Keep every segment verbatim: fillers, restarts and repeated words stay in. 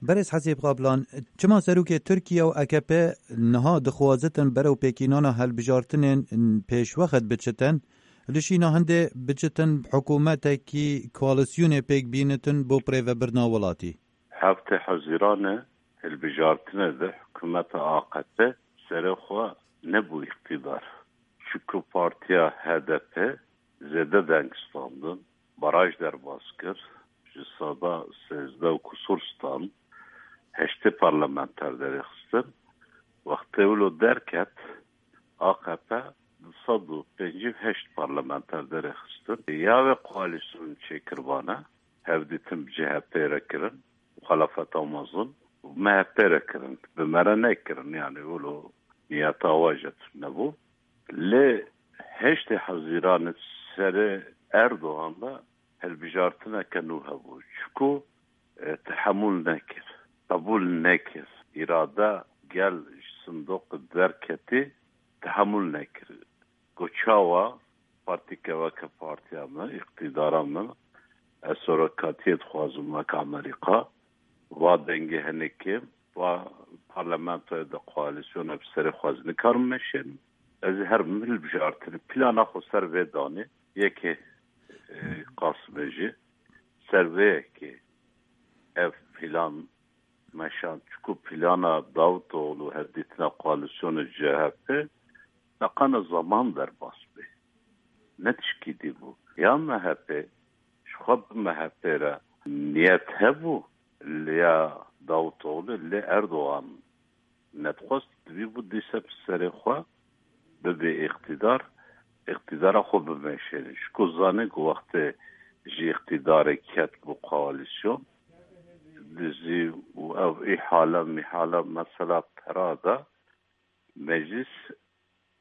Berêz Hesîb Kaplan, çima serokê Tirkiye û A K P niha dixwazitin berew pêkînana hilbijartinên pêşwext biçitin, li şîna hindê biçitin hikûmetekî koalîsyonê pêk bînitin bo birêvebirina welatî? Heftê Hezîranê hilbijartinê de hikûmeta A K P serê xwe nebû îqtîdar. Çiku partiya H D P zêde deng standin, baraj derbas kir, ji seda sêzdeh û kusur stand, heştê parlamenter derêxistin. Wextê wilo derket, A K P du sed û pêncî û heşt parlamenter derêxistin. Ya wê koalîsyon çêkiribane, hevdîtin bi C H P re kirin, muxalefeta mezin, û M H P re kirin. Bi me re nekirin, yani wilo niyeta wa jî tune bû. Lê heştê Hezîranê serê Erdogan de hilbijartineke nû hebû. Çiku, e, tehemûl nekir, qebûl nekir. Îrade gel ji sindoqê derketî, tehemûl nekir. Got, çawa partîke weke partiya min, îqtîdara min, ez serokatiyê dixwazim weke Amerîka, va dengê hinekê, va parlamentoyê de koalîsyona bi serê xwe ez nikarim meşênim. Ez ê herim hilbijartinê. Plana xwe ser vê danê. Yekê, e, Qasimê jî ser vê yekê ev plan meşand. Çiku plana Davutoğlu hevdîtina koalîsyona C H P neqana zaman derbas bê. Ne tişkî dî bû. Ya M H P, ji xwe bi M H P re niyet hebû, li ya Davutoğlu, lê Erdogan nedixwest, divî bû dîse bi serê xwe bibe îqtîdar, îqtîdara xwe bimeşêne. Ji ku zanê ku wextê ji îqtîdarê ket bû koalîsyon, dizî û ev îhale, mîhale, mesela pera da meclis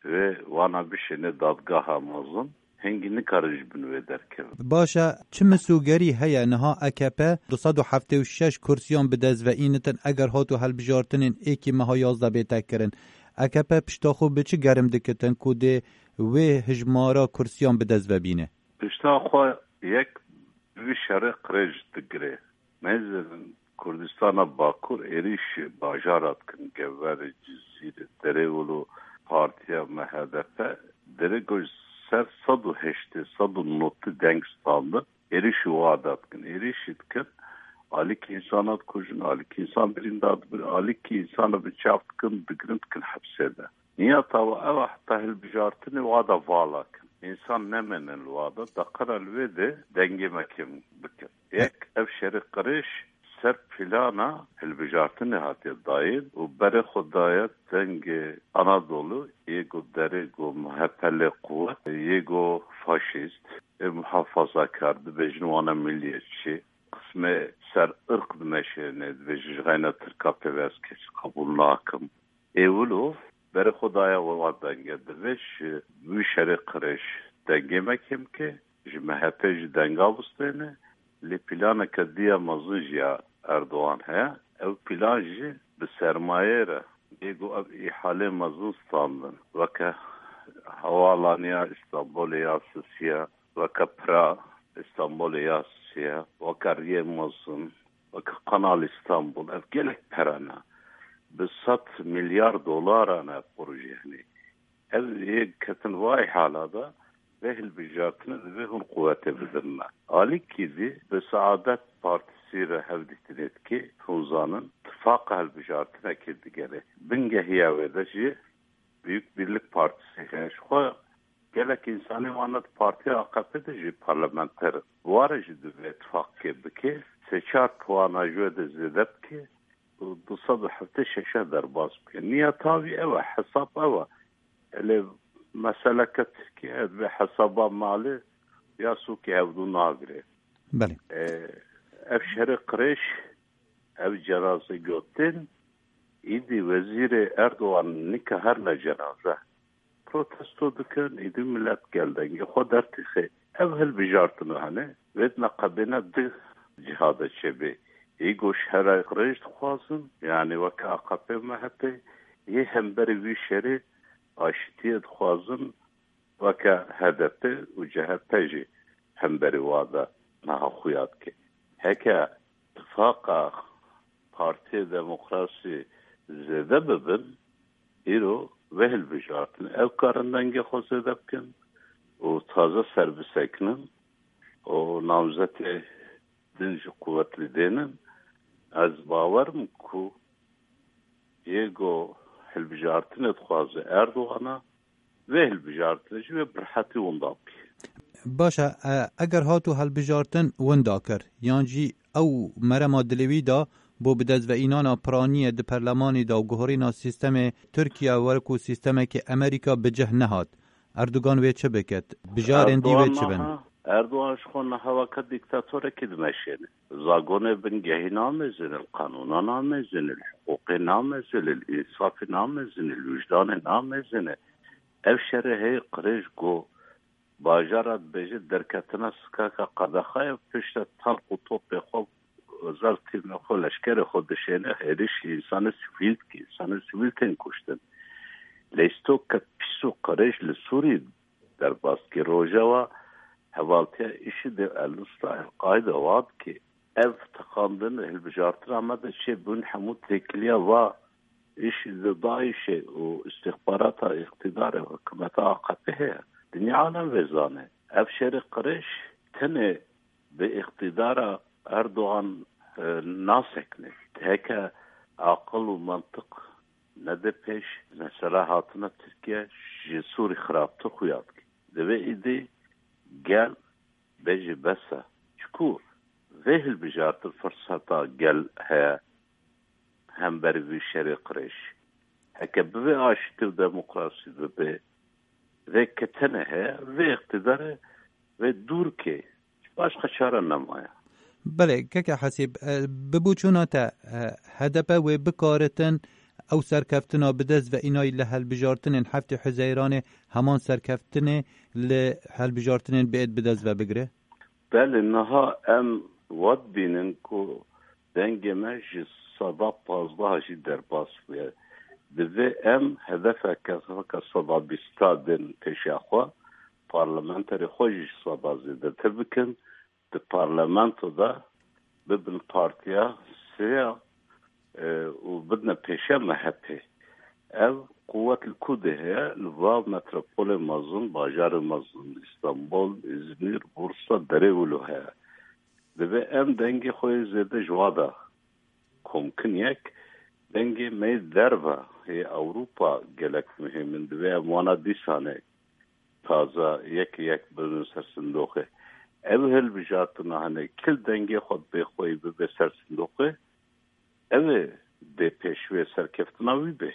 wê wana bişêne dadgeha mezin, hingî nikarin ji bin wê derkevin. Baş e, çi misogerî heye niha A K P du sed û heftê û şeş kursiyan bi dest ve înitin eger hato hilbijartinên êkî meha yazdeh bête kirin? A K P pişta xwe bi çi gerim dikitin ku dê wê hijmara kursiyan bi dest ve bîne? Pişta xwe yek bi vî şerê qirêj digire. Mêzên Kurdistana Bakur êrîşî bajara dikin, Geverê, Cizîrê, Derê, wilo partiya me H D P derê ku ji ser sed û heştê, sed û notî deng standin, êrîşî wada dikin. Êrîşî dikin, alîkî însana dikujin, alîkî însan birîndar dibin, alîkî însana binçav dikin, digirin, dikin hepsê de. Niyeta we ew e, heta hilbijartinê wada vala kin. Însan nemênin li wada, deqera li wê de dengê me kêm bikin. Yek, ev şerê qirêj ser plana hilbijartinê hatiye dayîn û berê xwe daye dengê Anadolu, yê ku derê ku M H P lê quwet, yê ku faşîst, ê muhafazakar, dibêjin wana milliyetçî, qismê ser irq dimeşêne, dibêjin ji xeyna Tirka pê ve ez kesî qebûl nakim. Ê wilo berê xwe daye wa denge. Divê ji wî şerê qirêj dengê me kêm ke ji M H P jî denga bistêne. Lê planeke diya mezin jî ya Erdogan heye. Ew plan jî bi sermayê re bê ku ev îhalê mezin standin. Weke hevalaniya Îstanbulê ya Sisiya, weke pira Îstanbulê ya Sisiya, weke riyê mezin, weke Kanal Îstanbul, ev gelek pere ne. Bi sed milyar dolara ne proje, yanî. Ev yê ketin vay hala da vê hilbijartine divê hûn quwetê bidin me. Alîkî zî bi Saadet Partîsî re hevdîtinê dike, hûn zanin, tifaqa hilbijartinekê digere. Bingehiya wê de jî Büyük Birlik Partîsî heye. Ji xwe gelek însanê wan di partiya A K P de jî parlamenter in. Ware jî divê tifaqkê bike, sê çar puana ji wê de zêde bike û du sed û heftê şeşe derbas bike. Niyeta wî ew e, hesab ew e. Lê meseleke Tirkiye divê hesaba malê ya sûkê hevdû nagire. Belê. E, ev şerê qirêj, ev cenaze gotin, îdî wezîrê Erdogan nika her ne cenaze. Protesto dikin, îdî millet gel dengê xwe dertîxê. Ev hilbijartine hene, vêdine qebêne di ciha de çêbê. Ê ku şerê qirêj dixwazin, yanî weke A K P M H P, yê hemberî vî şerê aşitiyê dixwazin, weke H D P û C H P jî hemberî wa de niha xuya dike. Heke tifaqa Partiyê Demokrasî zêde bibin, îro vê hilbijartin ew karin dengê xwe zêde bikin û taze ser bisekinin û namzetê din jî quwetlî dênin. Ez bawer im ku yê ku hilbijartinê dixwaze Erdogan e, vê hilbijartinê jî wê bi rehetî winda bike. Baş e, e, eger hatu hilbijartin winda kir, yan jî ew merema dilê wî da bo bi dest ve înana piraniyê di perlemanê de û guhorîna sîstemê Tirkiye wekû sîstemekê Amerîka bi cih nehat, Erdogan wê çi biket? Bijarên dî wê çi bin? Niha Erdogan ji xwe niha weke dîktatorekî dimeşêne. Zagonê bingehî namezin, li qanûna namezin, li hiqûqê namezin, li însafê namezin, li wijdanê namezin. Ev şerê heye qirêj ku bajara dibêje derketina sikaka qedexeye, pişte tank û topê xwe, zar tîmê xwe, leşkerê xwe dişêne, hêrişî însanê sivîl dike, însanê sivîl tên kuştin. Lê îsto ke pîs û qirêj li Sûrî derbas dike. Rojeva hevaltiya IŞİD'ê, El-Nusra, El-Qaîde wa dike. Ev teqandin hilbijartina me de çêbûn hemû têkiliya va IŞİD'ê, DAIŞ'ê û îstixbarata îqtîdarê û hikûmeta AKP'ê heye. Dinya alem vê zane. Ev şerê qirêj tenê bi îqtîdara Erdogan, e, nasekine. Heke aqil û mantiq nede pêş, mesela hatina Tirkiye ji Sûrî xirabtir xuya dike. Divê îdî gel bêje bes e. Çiku vê hilbijartin firseta gel heye hemberî vî şerê qirêj. Heke bivê aştî û demokrasî bibê, vê ketene heye, vê îqtîdarê vê dûr kê. Başqa çare nemaye. Belê, keke Hesîb, e, bi boçûna te, e, H D P wê bikaritin ew serkeftina bi dest ve înayî li hilbijartinên heftê Huzeyranê heman serkeftinê li hilbijartinên biêt bi dest ve bigire? Belê, niha em wa dibînin ku dengê me ji seda pazdeh jî derbas bûye. Divê em hedefeke weke seda bîsta din pêşiya xwe, parlamenterê xwe jî ji seda zêdetir bikin, di parlamento de bibin partiya sêya, e, û bidine pêşiya M H P'ê. Ev quwet li ku de heye? Li va metropolê mezin, bajarê mezin, Îstanbul, Îzmîr, Bursa, derê wilo heye. Divê em dengê xwe yê zêde ji wa de komkin yek, dengê me yê derve yê Ewropa gelek muhîm in. Divê em wana dîsanê taze yek yek bibin ser sindoqê. Ev hilbijartina hene kil dengê xwe bê xweyî bibe ser sindoqê, ev ê dê pêş wê serkeftina wî bê.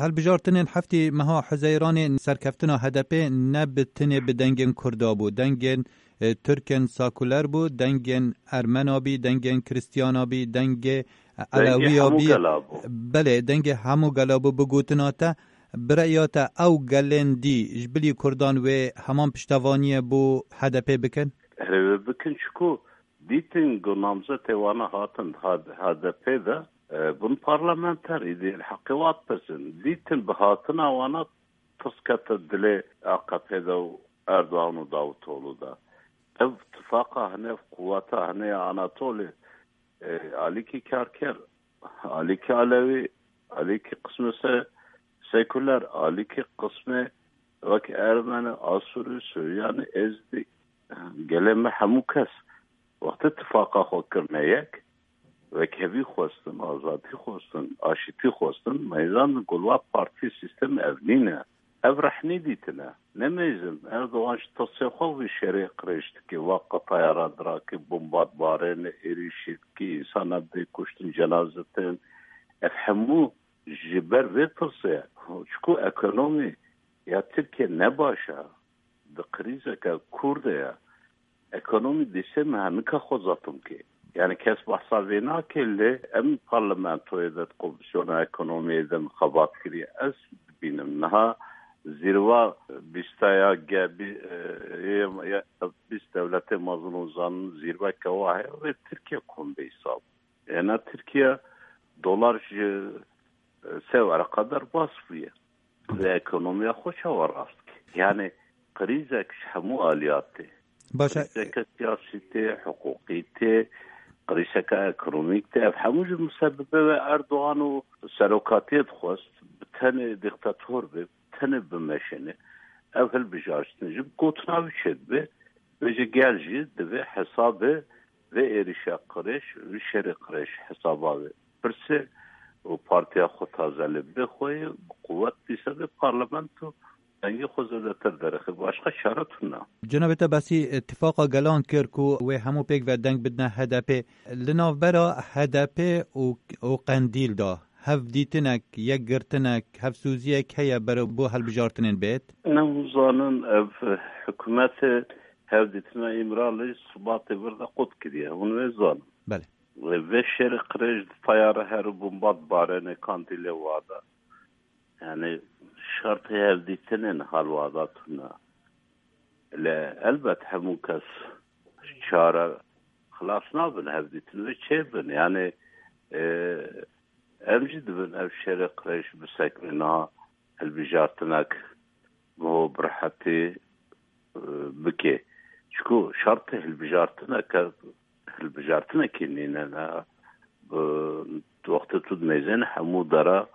Hilbijartinên heftê meha Huzeyranê serkeftina H D P ne bi tinê bi dengên Kurda bû. Dengên, e, Tirkên sakuler bû, dengên Ermena bî, dengên Kristiyana bî, dengê Dengê Elewiya hemû bî. Gela bû. Belê, dengê hemû gela bû. Bi gotina te, bi reya te ew gelên dî ji bilî Kurdan wê heman piştevaniyê bo H D P bikin? Erê wê bikin, çiku dîtin ku namzetê wana hatin H D P de, e, bûn parlamenter, îdî li heqê wa dipirsin. Dîtin bi hatina wana tirs kete dilê A K P de û Erdogan û Davutoglu de. Ev tifaqa hene, ev quweta hene ya Anatolî, e, alîkî karker, alîkî Alewî, alîkî qismê se-, sekuler, alîkî qismê wek Ermeni, Asûrî, Suryanî, Êzidî, gelê me hemû kes wextê tifaqa xwe kirine yek, wekhevî xwestin, azadî xwestin, aşîtî xwestin, meyzan gulwa partî sîstem ev nîne. Ev rehnî dîtine. Nemeyzin, Erdogan ji tirsê xwe vî şerê qirêj dike, wa qetaya radira ke, bombat barêne, êrîşî dike, însana dê kuştin, cenaze tên. Ev hemû ji ber vê tirsê ye. Çiku ekonomî ya Tirkiye ne baş e. Di krîzeke kûr de ye. Ekonomî dîsê me nika xwe zatim kê. Yani kes behsa vê nake, lê em parlamentoyê de, di komisyona ekonomiyê de min xebat kiriye. Ez dibînim niha zîrva bîsta ya G B, e, yê, ya bîst dewletê mezin û zanin zîrveke wa heye, wê Tirkiye kom bê hesab. Ena Tirkiye dolar ji, e, sê wereqa derbas bûye. Ve ekonomiya xwe çawa rast dike? Yani krîzek ji hemû aliya tê. Baş e. Krîzeke siyasî tê, hiqûqî tê, Krîzeke ekonomîk de ev hemû ji musebibê ve Erdogan û serokatiyê dixwest bi tenê diktator be, tenê bimeşêne. Ev hilbijartin ji gotina wî çêdibe. Vêce gel jî divê hesabê vê êrişa qirêj, vê şerê qirêj hesaba ve pirse û partiya xwe taze li bê xwe ye, bi quwet dîsa vê parlamento dengê xwe zêdetir derxe. Başqa çare tune. Cenabê te behsî îtifaqa gelan kir ku wê hemû pêk ve deng bidine H D P. Li navbera H D P û, û Qendîl de hevdîtinek, yekgirtinek, hevsûziyek heye ber bo hilbijartinên bêt? Ne hûn zanin ev hikûmetê hevdîtina Îmralî Sibatê vir de qut kiriye. Hûn wê zanin. Belê. Vê şerê qirêj di tayare her û bomba dibarêne Qendîlê wada. Yani şertê hevdîtinên hal wada tune. Lê elbet hemû kes çare xilas nabin, hevdîtin ve çêbin. Yani, e, em jî dibin ev şerê qirêj bisekine niha hilbijartinek biho bi rehetî, e, bike. Çiku şertê hilbijartineke, hilbijartinekî nîne ne. Bi, wextê tu dimêzên hemû dera,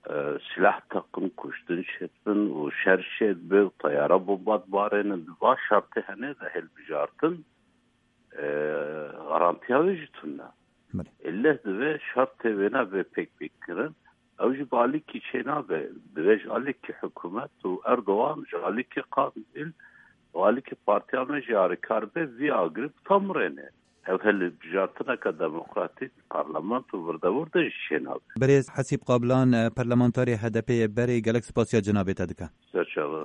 e, silah teqin, kuştin çêdibin û şer çêdibe û teyara bomba dibarênin. Di va şertê hene de hilbijartin, e, garantiya wê jî tune. Belê. Êleh divê şertê wêna bê pêk pêk kirin. Ew jî bi alîkî çênabe. Divê ji alîkî hikûmet û Erdogan ji alîkî Qandîl û alîkî partiya me jî alîkar be vî agirî bitamrêne. Ev hilbijartineke demokratîk parlamento virdevir de jî çênabe. Birêz Hesîb Qablan, e, parlamentarê H D P'ê berê, gelek spasiya cenabê te dike. Serçava.